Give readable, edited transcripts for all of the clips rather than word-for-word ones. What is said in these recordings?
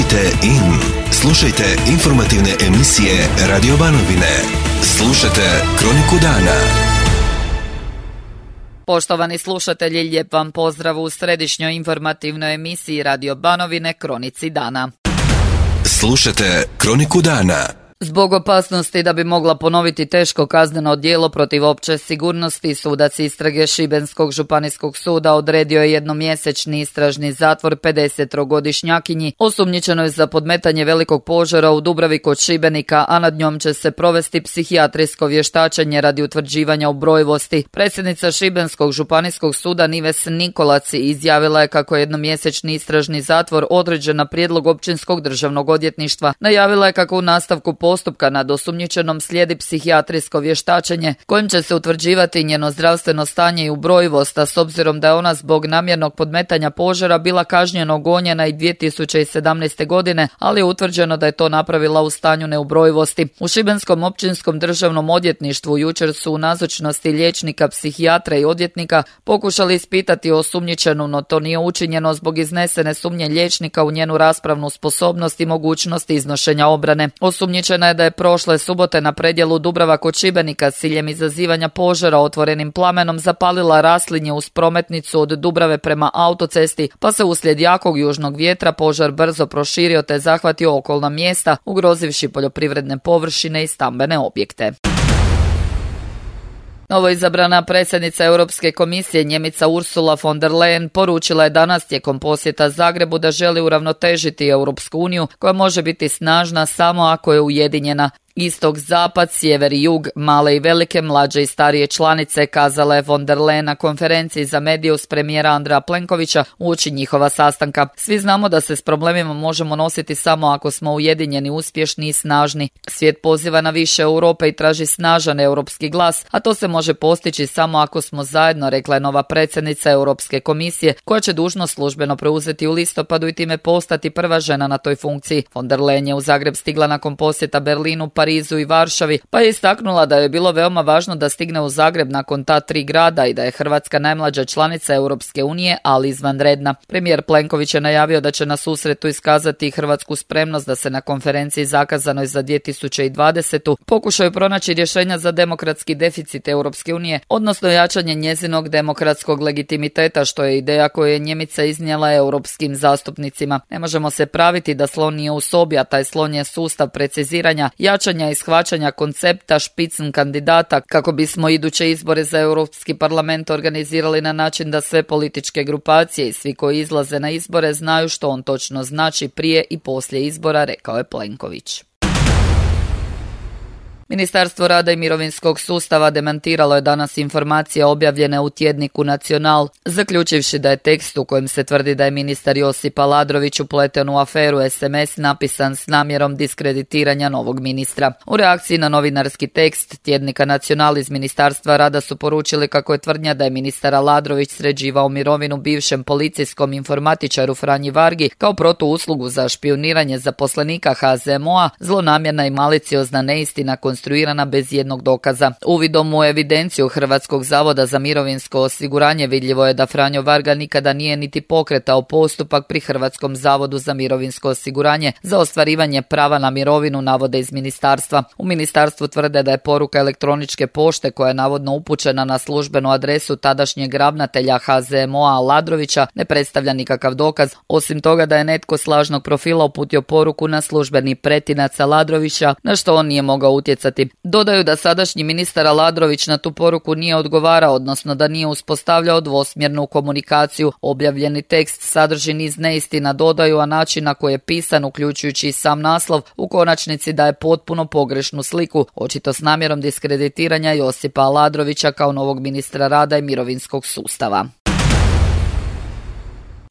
Tunite in. Slušajte informativne emisije Radio Banovine. Slušajte Kroniku dana. Poštovani slušatelji, lijep vam pozdrav u središnjoj informativnoj emisiji Radio Banovine Kronici dana. Slušajte Kroniku dana. Zbog opasnosti da bi mogla ponoviti teško kazneno djelo protiv opće sigurnosti, sudac istrage Šibenskog županijskog suda odredio je jednomjesečni istražni zatvor 50-godišnjakinji osumnjičenoj za podmetanje velikog požara u Dubravi kod Šibenika, a nad njom će se provesti psihijatrijsko vještačenje radi utvrđivanja ubrojivosti. Predsjednica Šibenskog županijskog suda Nives Nikolac izjavila je kako je jednomjesečni istražni zatvor određen na prijedlog Općinskog državnog odvjetništva. Najavila je kako u nastavku postupka nad osumnjičenom slijedi psihijatrijsko vještačenje kojim će se utvrđivati njeno zdravstveno stanje i ubrojivost, a s obzirom da je ona zbog namjernog podmetanja požara bila kažnjeno gonjena i 2017. godine, ali je utvrđeno da je to napravila u stanju neubrojivosti. U Šibenskom općinskom državnom odvjetništvu jučer su u nazočnosti liječnika, psihijatra i odvjetnika pokušali ispitati osumnjičenu, no to nije učinjeno zbog iznesene sumnje liječnika u njenu raspravnu sposobnost i mogućnost iznošenja obrane. Osumnjičena je da je prošle subote na predjelu Dubrava kod Šibenika s ciljem izazivanja požara otvorenim plamenom zapalila raslinje uz prometnicu od Dubrave prema autocesti, pa se uslijed jakog južnog vjetra požar brzo proširio te zahvatio okolna mjesta, ugrozivši poljoprivredne površine i stambene objekte. Novoizabrana predsjednica Europske komisije Njemica Ursula von der Leyen poručila je danas tijekom posjeta Zagrebu da želi uravnotežiti Europsku uniju koja može biti snažna samo ako je ujedinjena. Istok, zapad, sjever i jug, male i velike, mlađe i starije članice, kazala je von der Leyen na konferenciji za medije uz premijera Andreja Plenkovića uoči njihova sastanka. Svi znamo da se s problemima možemo nositi samo ako smo ujedinjeni, uspješni i snažni. Svijet poziva na više Europe i traži snažan europski glas, a to se može postići samo ako smo zajedno, rekla je nova predsjednica Europske komisije, koja će dužnost službeno preuzeti u listopadu i time postati prva žena na toj funkciji. Von der Leyen je u Zagreb stigla nakon posjeta Berlinu, Parizu i Varšavi, pa je istaknula da je bilo veoma važno da stigne u Zagreb nakon ta 3 grada i da je Hrvatska najmlađa članica Europske unije, ali izvanredna. Premijer Plenković je najavio da će na susretu iskazati hrvatsku spremnost da se na konferenciji zakazanoj za 2020. pokušaju pronaći rješenja za demokratski deficit Europske unije, odnosno jačanje njezinog demokratskog legitimiteta, što je ideja koju je Njemica iznijela europskim zastupnicima. Ne možemo se praviti da slon nije u sobi, a taj slon je sustav preciziranja, jačanja i shvaćanja koncepta špicn kandidata kako bismo iduće izbore za Europski parlament organizirali na način da sve političke grupacije i svi koji izlaze na izbore znaju što on točno znači prije i poslije izbora, rekao je Plenković. Ministarstvo rada i mirovinskog sustava demantiralo je danas informacije objavljene u tjedniku Nacional, zaključivši da je tekst u kojem se tvrdi da je ministar Josip Aladrović upleten u aferu SMS napisan s namjerom diskreditiranja novog ministra. U reakciji na novinarski tekst tjednika Nacional iz Ministarstva rada su poručili kako je tvrdnja da je ministar Aladrović sređivao mirovinu bivšem policijskom informatičaru Franji Vargi kao protuuslugu za špijuniranje zaposlenika HZMO-a zlonamjerna i maliciozna neistina konstruirana bez jednog dokaza. Uvidom u evidenciju Hrvatskog zavoda za mirovinsko osiguranje vidljivo je da Franjo Varga nikada nije niti pokretao postupak pri Hrvatskom zavodu za mirovinsko osiguranje za ostvarivanje prava na mirovinu, navode iz ministarstva. U ministarstvu tvrde da je poruka elektroničke pošte koja je navodno upućena na službenu adresu tadašnjeg ravnatelja HZMO-a Aladrovića ne predstavlja nikakav dokaz, osim toga da je netko s lažnog profila uputio poruku na službeni pretinac Aladrovića, na što on nije mogao utjecati. Dodaju da sadašnji ministar Aladrović na tu poruku nije odgovarao, odnosno da nije uspostavljao dvosmjernu komunikaciju. Objavljeni tekst sadrži niz neistina, dodaju, a način na koji je pisan, uključujući i sam naslov, u konačnici daje potpuno pogrešnu sliku, očito s namjerom diskreditiranja Josipa Aladrovića kao novog ministra rada i mirovinskog sustava.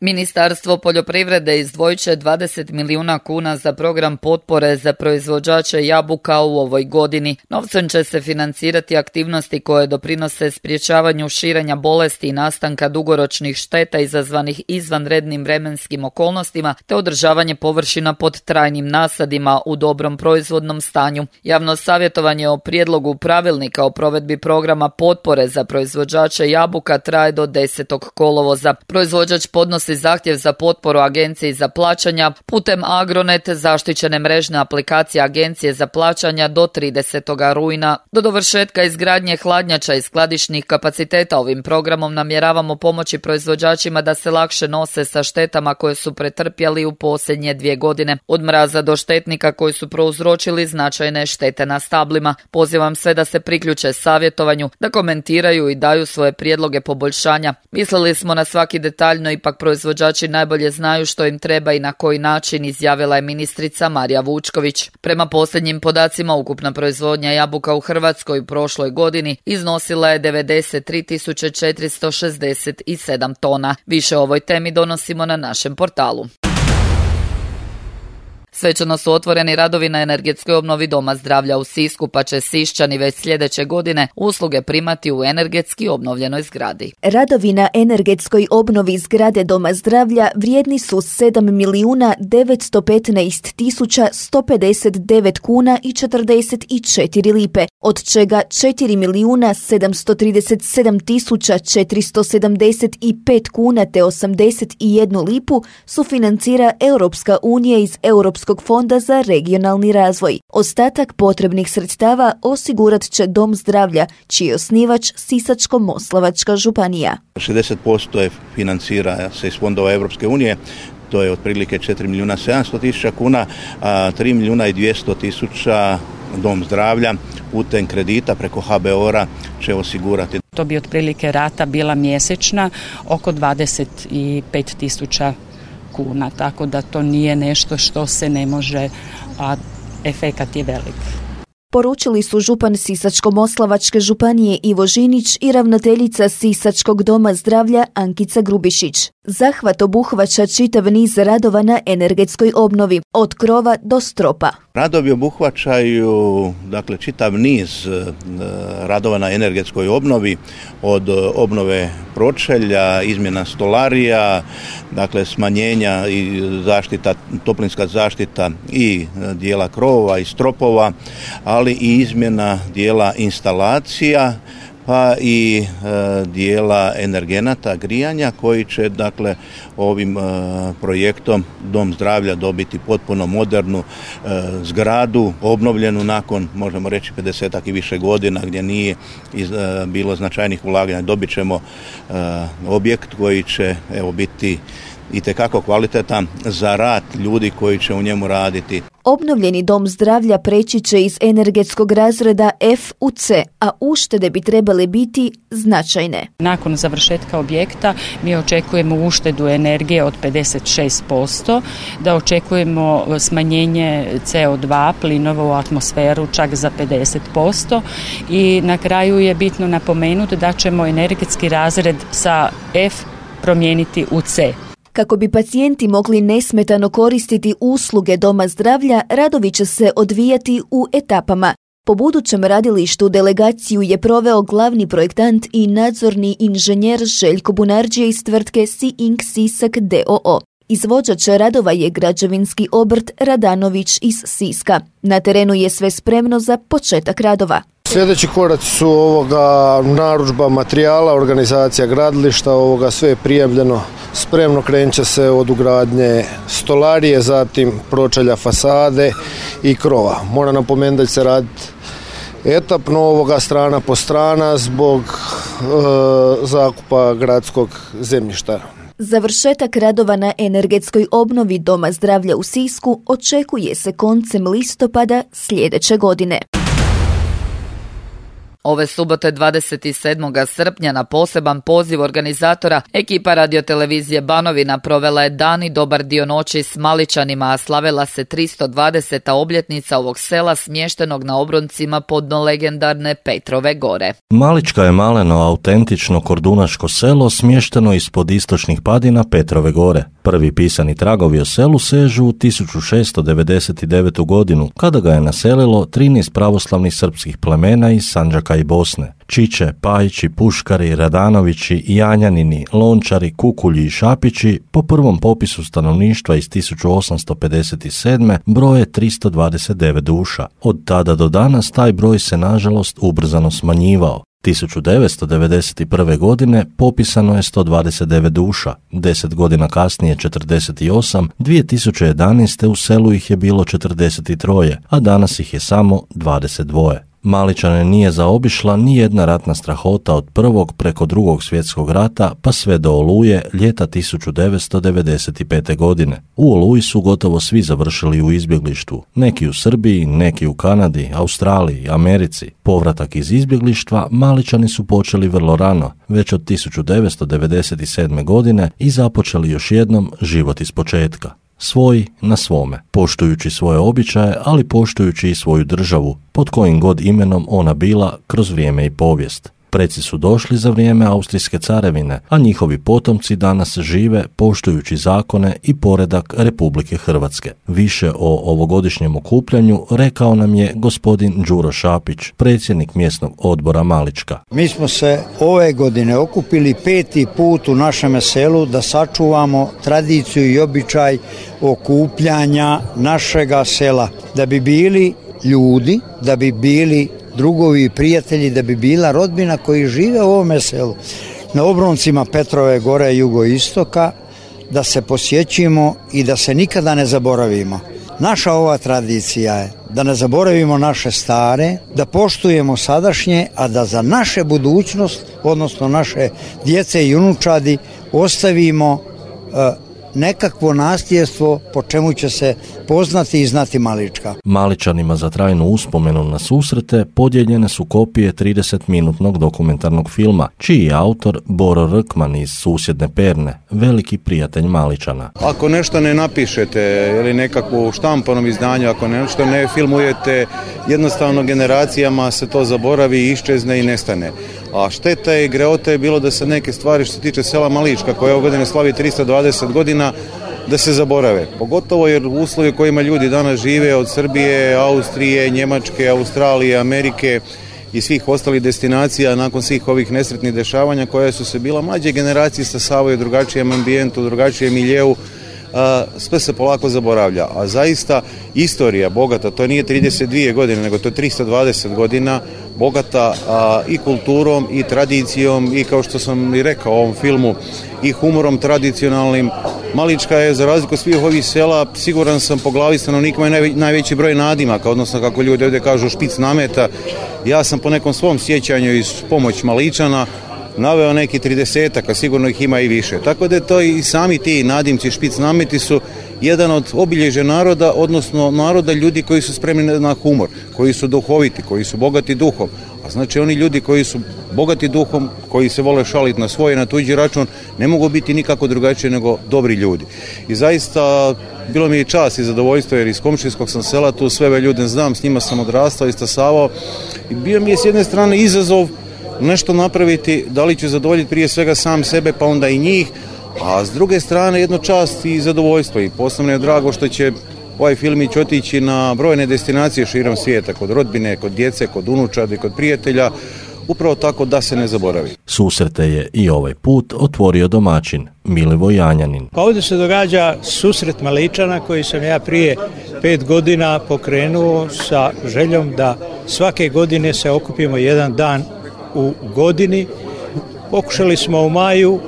Ministarstvo poljoprivrede izdvojit će 20 milijuna kuna za program potpore za proizvođače jabuka u ovoj godini. Novcem će se financirati aktivnosti koje doprinose sprječavanju širenja bolesti i nastanka dugoročnih šteta izazvanih izvanrednim vremenskim okolnostima te održavanje površina pod trajnim nasadima u dobrom proizvodnom stanju. Javno savjetovanje o prijedlogu pravilnika o provedbi programa potpore za proizvođače jabuka traje do 10. kolovoza. Proizvođač podnosi podnijeti zahtjev za potporu Agenciji za plaćanja putem Agronet zaštićene mrežne aplikacije Agencije za plaćanja do 30. rujna. Do dovršetka izgradnje hladnjača i skladišnih kapaciteta ovim programom namjeravamo pomoći proizvođačima da se lakše nose sa štetama koje su pretrpjeli u posljednje 2 godine. Od mraza do štetnika koji su prouzročili značajne štete na stablima. Pozivam sve da se priključe savjetovanju, da komentiraju i daju svoje prijedloge poboljšanja. Mislili smo na svaki detalj, no ipak proizvođači najbolje znaju što im treba i na koji način, izjavila je ministrica Marija Vučković. Prema posljednjim podacima, ukupna proizvodnja jabuka u Hrvatskoj u prošloj godini iznosila je 93.467 tona. Više o ovoj temi donosimo na našem portalu. Svečano su otvoreni radovi na energetskoj obnovi Doma zdravlja u Sisku, pa će Siščani već sljedeće godine usluge primati u energetski obnovljenoj zgradi. Radovi na energetskoj obnovi zgrade Doma zdravlja vrijedni su 7.915.159 kuna i 44 lipe, od čega 4.737.475 kuna te 81 lipu sufinancira Europska unija iz Europskog fonda za regionalni razvoj. Ostatak potrebnih sredstava osigurat će Dom zdravlja, čiji je osnivač Sisačko-moslavačka županija. 60% je financira se iz fondova Europske unije, to je otprilike 4.700.000 kuna, a 3.200.000 Dom zdravlja putem kredita preko HBOR-a će osigurati. To bi otprilike rata bila mjesečna oko 25.000 kuna, tako da to nije nešto što se ne može, a efekat je velik. Poručili su župan Sisačko-moslavačke županije Ivo Žinić i ravnateljica Sisačkog doma zdravlja Ankica Grubišić. Zahvat obuhvaća čitav niz radova na energetskoj obnovi, od krova do stropa. Radovi obuhvaćaju čitav niz radova na energetskoj obnovi, od obnove pročelja, izmjena stolarija, smanjenja i zaštita, toplinska zaštita i dijela krovova i stropova, ali i izmjena dijela instalacija, pa i dijela energenata grijanja koji će ovim projektom Dom zdravlja dobiti potpuno modernu zgradu, obnovljenu nakon, možemo reći, 50-ak i više godina gdje nije bilo značajnih ulaganja. Dobit ćemo objekt koji će biti itekako kvalitetan za rad ljudi koji će u njemu raditi. Obnovljeni dom zdravlja preći će iz energetskog razreda F u C, a uštede bi trebale biti značajne. Nakon završetka objekta mi očekujemo uštedu energije od 56%, da očekujemo smanjenje CO2 plinova u atmosferu čak za 50% i na kraju je bitno napomenuti da ćemo energetski razred sa F promijeniti u C. Kako bi pacijenti mogli nesmetano koristiti usluge Doma zdravlja, radovi će se odvijati u etapama. Po budućem radilištu delegaciju je proveo glavni projektant i nadzorni inženjer Željko Bunarđije iz tvrtke Siink Sisak d.o.o. Izvođač radova je građevinski obrt Radanović iz Siska. Na terenu je sve spremno za početak radova. Sljedeći koraci su narudžba materijala, organizacija gradilišta, sve je prijavljeno, spremno krenut će se od ugradnje stolarije, zatim pročelja fasade i krova. Moram napomenuti da će se raditi etapno strana po strana zbog zakupa gradskog zemljišta. Završetak radova na energetskoj obnovi Doma zdravlja u Sisku očekuje se koncem listopada sljedeće godine. Ove subote 27. srpnja na poseban poziv organizatora ekipa radiotelevizije Banovina provela je dan i dobar dio noći s Maličanima, a slavila se 320. obljetnica ovog sela smještenog na obroncima podno legendarne Petrove gore. Malička je maleno autentično kordunaško selo smješteno ispod istočnih padina Petrove gore. Prvi pisani tragovi o selu sežu u 1699. godinu, kada ga je naselilo 13 pravoslavnih srpskih plemena iz Sandžaka i Bosne. Čiče, Pajići, Puškari, Radanovići, Janjanini, Lončari, Kukulji i Šapići po prvom popisu stanovništva iz 1857. broje 329 duša. Od tada do danas taj broj se nažalost ubrzano smanjivao. 1991. godine popisano je 129 duša, 10 godina kasnije 48, 2011. u selu ih je bilo 43, a danas ih je samo 22. Maličane nije zaobišla ni jedna ratna strahota od prvog preko drugog svjetskog rata pa sve do Oluje ljeta 1995. godine. U Oluji su gotovo svi završili u izbjeglištvu, neki u Srbiji, neki u Kanadi, Australiji, Americi. Povratak iz izbjeglištva Maličani su počeli vrlo rano, već od 1997. godine i započeli još jednom život iz početka. Svoj na svome, poštujući svoje običaje, ali poštujući i svoju državu, pod kojim god imenom ona bila kroz vrijeme i povijest. Preci su došli za vrijeme Austrijske carevine, a njihovi potomci danas žive poštujući zakone i poredak Republike Hrvatske. Više o ovogodišnjem okupljanju rekao nam je gospodin Đuro Šapić, predsjednik mjesnog odbora Malička. Mi smo se ove godine okupili 5. put u našem selu da sačuvamo tradiciju i običaj okupljanja našega sela, da bi bili ljudi, da bi bili drugovi i prijatelji, da bi bila rodbina koji žive u ovome selu. Na obroncima Petrove gore jugoistoka, da se posjećimo i da se nikada ne zaboravimo. Naša ova tradicija je da ne zaboravimo naše stare, da poštujemo sadašnje, a da za naše budućnost, odnosno naše djece i unučadi, ostavimo nekakvo nasljedstvo po čemu će se poznati i znati Malička. Maličanima za trajnu uspomenu na susrete podijeljene su kopije 30-minutnog dokumentarnog filma, čiji je autor Boro Rkman iz susjedne Perne, veliki prijatelj Maličana. Ako nešto ne napišete ili nekakvu štampanom izdanju, ako nešto ne filmujete, jednostavno generacijama se to zaboravi, iščezne i nestane. A šteta i greota je bilo da se neke stvari što se tiče sela Malička, koje ove godine slavi 320 godina, da se zaborave. Pogotovo jer uslovi u kojima ljudi danas žive od Srbije, Austrije, Njemačke, Australije, Amerike i svih ostalih destinacija nakon svih ovih nesretnih dešavanja koje su se bila mlađe generacije stasavaju u drugačijem ambijentu, drugačijem miljeu, sve se polako zaboravlja. A zaista istorija bogata, to nije 32 godine, nego to je 320 godina, bogata i kulturom i tradicijom i kao što sam i rekao u ovom filmu i humorom tradicionalnim. Malička je za razliku od svih ovih sela, siguran sam po glavi stanovnika je najveći broj nadimaka, odnosno kako ljudi ovdje kažu špic nameta. Ja sam po nekom svom sjećanju iz pomoć Maličana naveo neki 30-ak, a sigurno ih ima i više. Tako da je to i sami ti nadimci špic nameti su jedan od obilježja naroda, odnosno naroda ljudi koji su spremni na humor, koji su duhoviti, koji su bogati duhom. A znači oni ljudi koji su bogati duhom, koji se vole šaliti na svoj i na tuđi račun, ne mogu biti nikako drugačije nego dobri ljudi. I zaista bilo mi je čast i zadovoljstvo jer iz komšijskog sam sela, tu sve ove ljude znam, s njima sam odrastao i stasavao i bio mi je s jedne strane izazov nešto napraviti, da li ću zadovoljiti prije svega sam sebe pa onda i njih, a s druge strane jedno čast i zadovoljstvo i posebno je drago što će ovaj filmić otići na brojne destinacije širom svijeta, kod rodbine, kod djece, kod unučadi, kod prijatelja, upravo tako da se ne zaboravi. Susrete je i ovaj put otvorio domaćin Milivoj Janjanin. Pa ovdje se događa susret Maličana koji sam ja prije 5 godina pokrenuo sa željom da svake godine se okupimo jedan dan u godini. Pokušali smo u maju,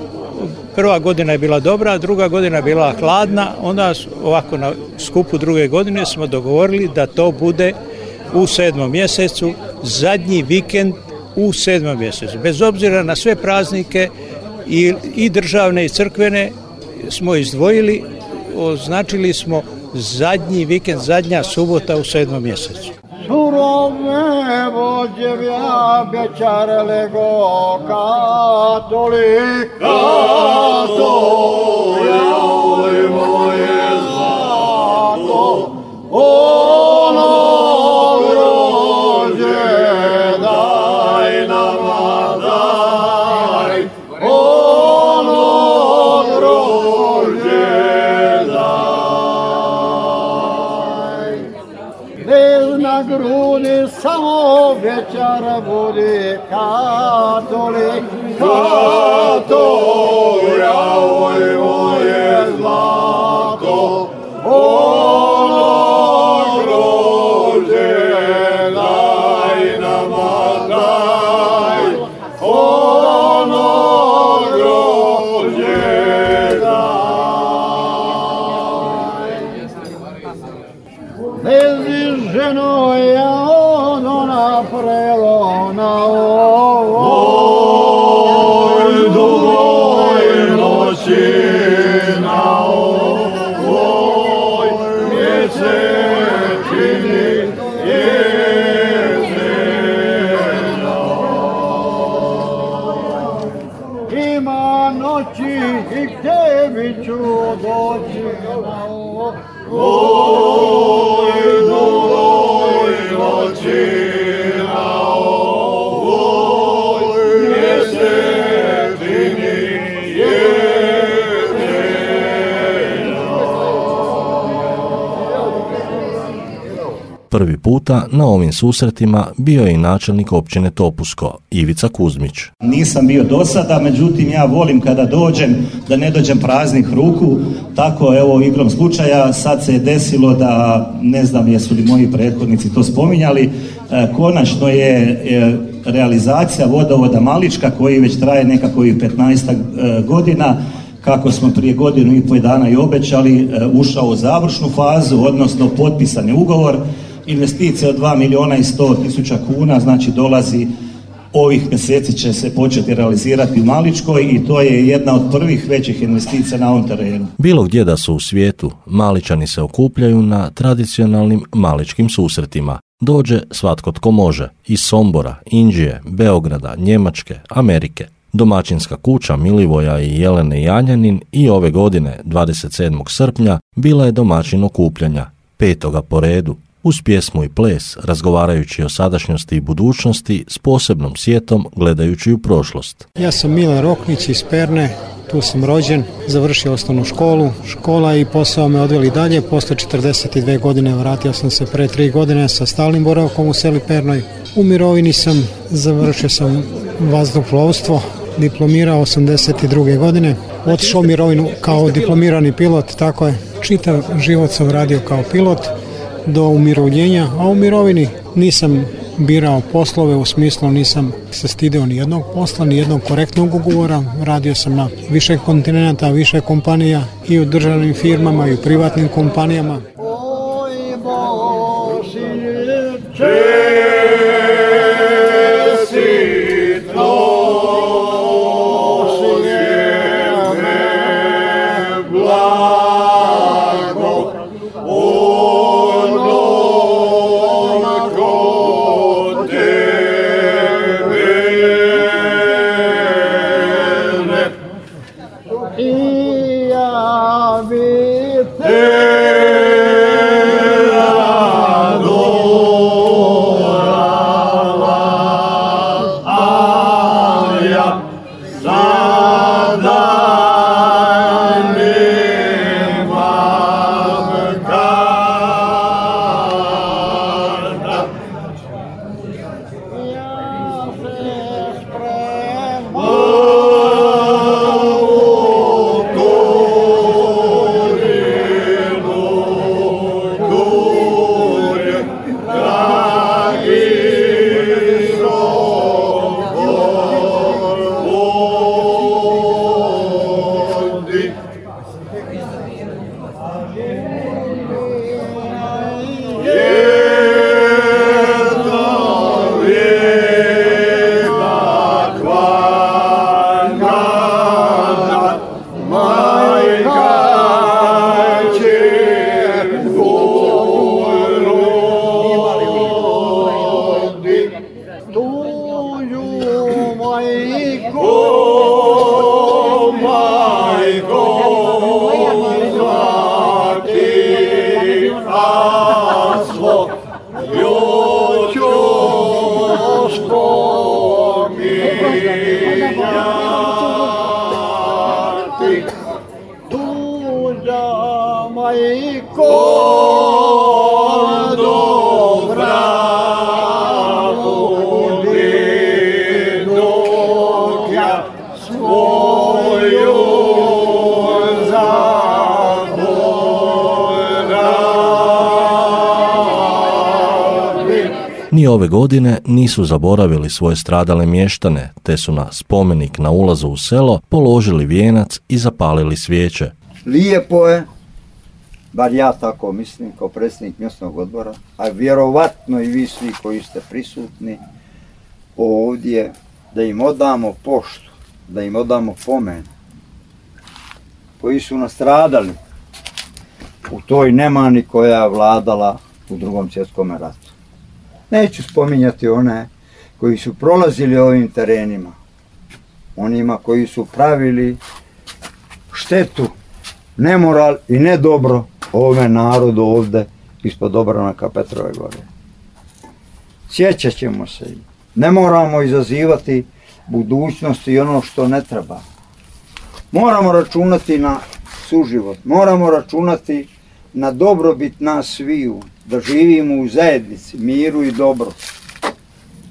prva godina je bila dobra, druga godina je bila hladna, onda ovako na skupu druge godine smo dogovorili da to bude u 7. mjesecu, zadnji vikend u 7. mjesecu. Bez obzira na sve praznike i državne i crkvene smo izdvojili, označili smo zadnji vikend, zadnja subota u 7. mjesecu. Surove vođevja bečarele go katolika to je moje zlato ono grožđe daj nama daj ono grožđe daj bez na grudi samo večer bude katolik kato javoj moje zlato ono grožđe daj nama daj Lezi ženo ja ono naprelo na ovoj dugoj noći, na ovoj mjesečini jezera. Ima noći i k tebi ću doći na ovoj dugoj noći, na ovoj mjesečini jezera. Prvi puta na ovim susretima bio je i načelnik općine Topusko, Ivica Kuzmić. Nisam bio do sada, međutim ja volim kada dođem da ne dođem praznih ruku, tako evo igrom slučaja sad se je desilo da, ne znam jesu li moji prethodnici to spominjali, konačno je realizacija vodovoda Malička koji već traje nekakvih 15 godina, kako smo prije godinu i pol dana i obećali, ušao u završnu fazu, odnosno potpisan je ugovor. Investicija od 2.100.000 kuna, znači dolazi ovih mjeseci će se početi realizirati u Maličkoj i to je jedna od prvih većih investicija na ovom terenu. Bilo gdje da su u svijetu, Maličani se okupljaju na tradicionalnim maličkim susretima. Dođe svatko tko može, iz Sombora, Inđije, Beograda, Njemačke, Amerike. Domaćinska kuća Milivoja i Jelene Janjanin i ove godine, 27. srpnja, bila je domaćin okupljanja, 5. po redu, uz pjesmu i ples, razgovarajući o sadašnjosti i budućnosti s posebnom sjetom gledajući u prošlost. Ja sam Milan Roknić iz Perne, tu sam rođen, završio osnovnu školu. Škola i posao me odveli dalje, posle 42 godine vratio sam se pre 3 godine sa stalnim boravkom u seli Pernoj. U mirovini sam, završio sam vazduhoplovstvo, diplomirao 82. godine, otišao u mirovinu kao diplomirani pilot, tako je. Čitav život sam radio kao pilot do umirovljenja, a u mirovini nisam birao poslove, u smislu nisam se stidio ni jednog posla, ni jednog korektnog ugovora. Radio sam na više kontinenta, više kompanija i u državnim firmama i u privatnim kompanijama. Ni ove godine nisu zaboravili svoje stradale mještane, te su na spomenik na ulazu u selo položili vijenac i zapalili svijeće. Lijepo je bar ja tako mislim kao predsjednik mjesnog odbora, a vjerovatno i vi svi koji ste prisutni ovdje, da im odamo poštu, da im odamo pomen, koji su nastradali u toj nemani koja je vladala u Drugom svjetskom ratu. Neću spominjati one koji su prolazili ovim terenima, onima koji su pravili štetu, nemoral i nedobro ovome narodu ovdje ispod obranaka Petrove gore. Sjećat ćemo se i ne moramo izazivati budućnosti i ono što ne treba. Moramo računati na suživot, moramo računati na dobrobit nas sviju, da živimo u zajednici, miru i dobro.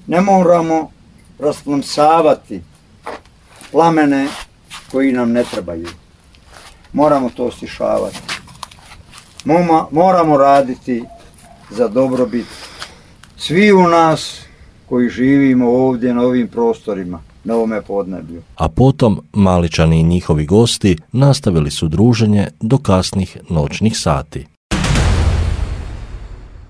Ne moramo rasplamsavati plamene koji nam ne trebaju. Moramo to stišavati. Moramo raditi za dobrobit sviju nas koji živimo ovdje na ovim prostorima, na ovome podneblju. A potom Maličani i njihovi gosti nastavili su druženje do kasnih noćnih sati.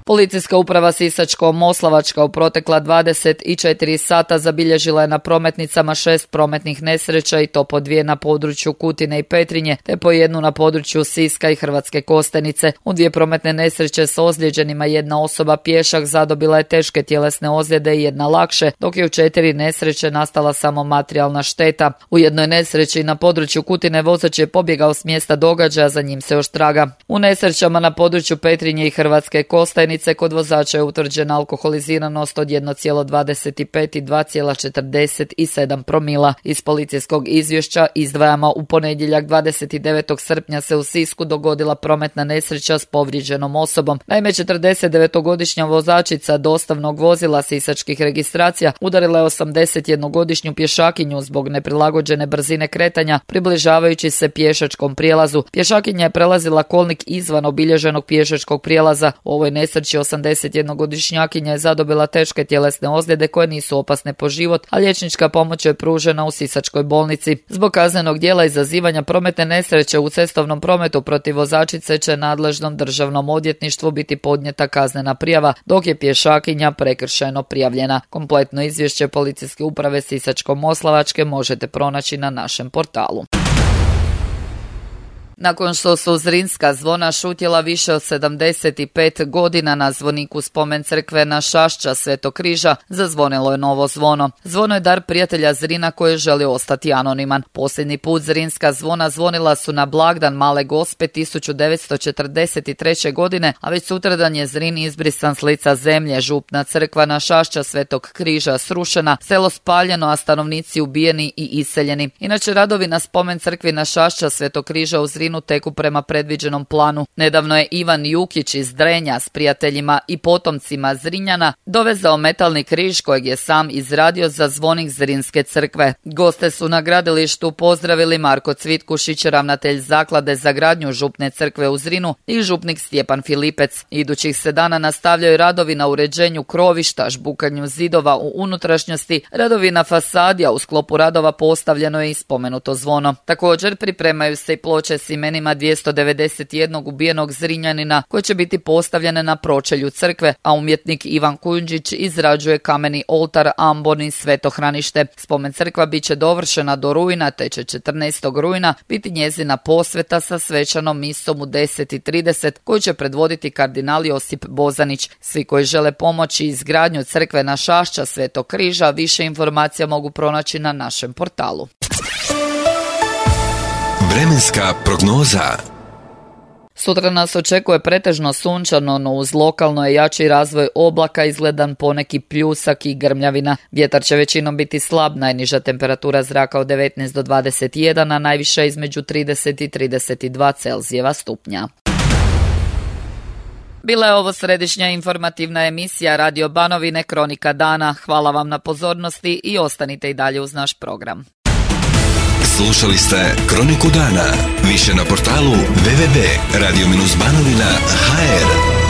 Policijska uprava Sisačko-Moslavačka u protekla 24 sata zabilježila je na prometnicama 6 prometnih nesreća i to po 2 na području Kutine i Petrinje, te po 1 na području Siska i Hrvatske Kostajnice. U 2 prometne nesreće s ozlijeđenima 1 osoba pješak zadobila je teške tjelesne ozljede i 1 lakše, dok je u 4 nesreće nastala samo materijalna šteta. U jednoj nesreći na području Kutine vozač je pobjegao s mjesta događaja, za njim se još traga. U nesrećama na području Petrinje i Hrvatske Kostajnice kod vozača je utvrđena alkoholiziranost od 1,25 i 2,47 promila. Iz policijskog izvješća izdvajamo u ponedjeljak 29. srpnja se u Sisku dogodila prometna nesreća s povrijeđenom osobom. Naime, 49-godišnja vozačica dostavnog vozila sisačkih registracija udarila je 81-godišnju pješakinju zbog neprilagođene brzine kretanja, približavajući se pješačkom prijelazu. Pješakinja je prelazila kolnik izvan obilježenog pješačkog prijelaza. U ovoj nesreći 81-godišnjakinja je zadobila teške tjelesne ozljede koje nisu opasne po život, a liječnička pomoć je pružena u Sisačkoj bolnici. Zbog kaznenog djela izazivanja prometne nesreće u cestovnom prometu protiv vozačice će nadležnom državnom odvjetništvu biti podnijeta kaznena prijava, dok je pješakinja prekršajno prijavljena. Kompletno izvješće Policijske uprave Sisačko-Moslavačke možete pronaći na našem portalu. Nakon što su Zrinska zvona šutjela više od 75 godina na zvoniku spomen crkve na Šašća Svetog križa, zazvonilo je novo zvono. Zvono je dar prijatelja Zrina koji želi ostati anoniman. Posljednji put Zrinska zvona zvonila su na blagdan Male Gospe 1943. godine, a već sutradan je Zrin izbrisan s lica zemlje, župna crkva na Šašća Svetog križa srušena, selo spaljeno, a stanovnici ubijeni i iseljeni. Inače, radovi na spomen crkvi na Šašća Svetog križa u Zrinu teku prema predviđenom planu. Nedavno je Ivan Jukić iz Drenja s prijateljima i potomcima Zrinjana dovezao metalni križ kojeg je sam izradio za zvonik Zrinske crkve. Goste su na gradilištu pozdravili Marko Cvitkušić, ravnatelj zaklade za gradnju župne crkve u Zrinu, i župnik Stjepan Filipec. Idućih se dana nastavljaju radovi na uređenju krovišta, žbukanju zidova u unutrašnjosti, radovi na fasadi, a u sklopu radova postavljeno je i spomenuto zvono. Također pripremaju se i ploče s imenima 291 ubijenog Zrinjanina koje će biti postavljene na pročelju crkve, a umjetnik Ivan Kujundžić izrađuje kameni oltar, ambon i svetohranište. Spomen crkva bit će dovršena do rujna, te će 14. rujna biti njezina posveta sa svečanom misom u 10:30 koju će predvoditi kardinal Josip Bozanić. Svi koji žele pomoći izgradnju crkve na Šašća Svetog križa više informacija mogu pronaći na našem portalu. Vremenska prognoza. Sutra nas očekuje pretežno sunčano, no uz lokalno je jači razvoj oblaka, izgledan poneki pljusak i grmljavina. Vjetar će većinom biti slab, najniža temperatura zraka od 19 do 21, a najviša između 30 i 32 Celzijeva stupnja. Bila je ovo središnja informativna emisija Radio Banovine Kronika dana. Hvala vam na pozornosti i ostanite i dalje uz naš program. Slušali ste Kroniku dana. Više na portalu www.radio-banovina.hr.